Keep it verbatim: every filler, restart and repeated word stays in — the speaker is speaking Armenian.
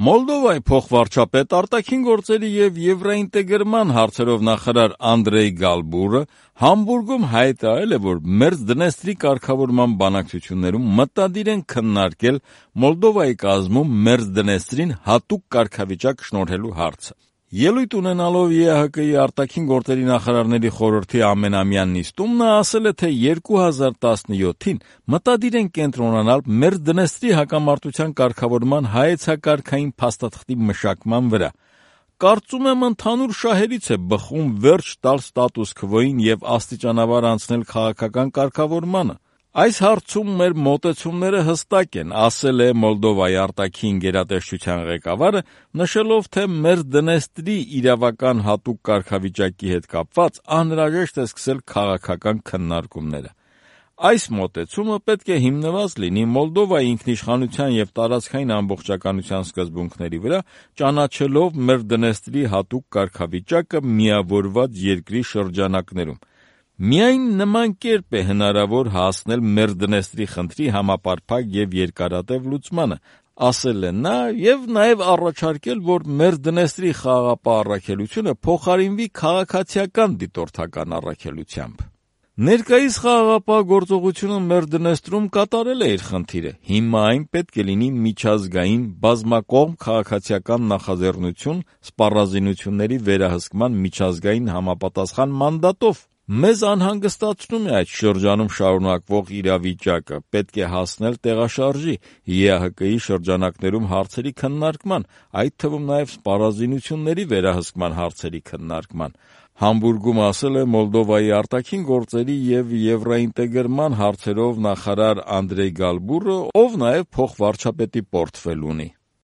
Մոլդովայի փոխվարչապետ, արտաքին գործերի եւ եվրոինտեգրման հարցերով նախարար Անդրեյ Գալբուրը Համբուրգում հայտարարել է, որ Մերձդնեստրի կարգավորման բանակցություններում մտադիր են քննարկել Մոլդովայի կազմում Մերձդնեստրին հատուկ կարգավիճակ շնորհելու հարցը։ Ելույթ ունենալով ԵԱՀԿ-ի արտաքին գործերի նախարարների խորհրդի ամենամյա նիստում նա ասել է, թե երկու հազար տասնյոթին մտադիր են կենտրոնանալ Մերձդնեստրի հակամարտության կարգավորման հայեցակարգային փաստաթղթի մշակման վրա։ Կարծում եմ, ընդհանուր շահերից է բխում վերջ տալ ստատուս քվոյին եւ աստիճանաբար անցնել քաղաքական կարգավորմանը։ Այս հարցում մեր մոտեցումները հստակ են, ասել է Մոլդովայի արտաքին գերատեսչության ղեկավարը, նշելով, թե Մերձդնեստրի իրավական հատուկ կարգավիճակի հետ կապված անհրաժեշտ է սկսել քաղաքական քննարկումները։ Այս մոտեցումը պետք է հիմնված լինի Մոլդովայի ինքնիշխանության եւ տարածքային ամբողջականության սկզբունքների վրա, ճանաչելով Մերձդնեստրի հատուկ կարգավիճակը միավորված երկրի շրջանակներում։ Միայն նման կերպ է հնարավոր հասնել Մերձդնեստրի խնդրի համապարփակ եւ երկարատև լուծմանը, ասել է նա եւ նաեւ առաջարկել, որ Մերձդնեստրի խաղաղապահ առաքելությունը փոխարինվի քաղաքացիական դիտորդական առաքելությամբ։ Ներկայիս խաղաղապահ գործողությունը Մերձդնեստրում կատարել է իր խնդիրը, հիմա այն պետք է լինի միջազգային բազմակողմ քաղաքացիական նախաձեռնություն սպառազինությունների վերահսկման միջազգային համապատասխան մանդատով։ Մեզ անհանգստացնում է այդ շրջանում շարունակվող իրավիճակը, պետք է հասնել տեղաշարժի, ԵԱՀԿ-ի շրջանակներում հարցերի քննարկման, այդ թվում նաև սպառազինությունների վերահսկման հարցերի քննարկման։ Համբուրգում ասել է Մոլդովայի արտաքին գործերի եւ եվրոինտեգրման հարցերով նախարար Անդրեյ Գալբուրը, ով նաև փոխվարչապետի պորտֆել ունի։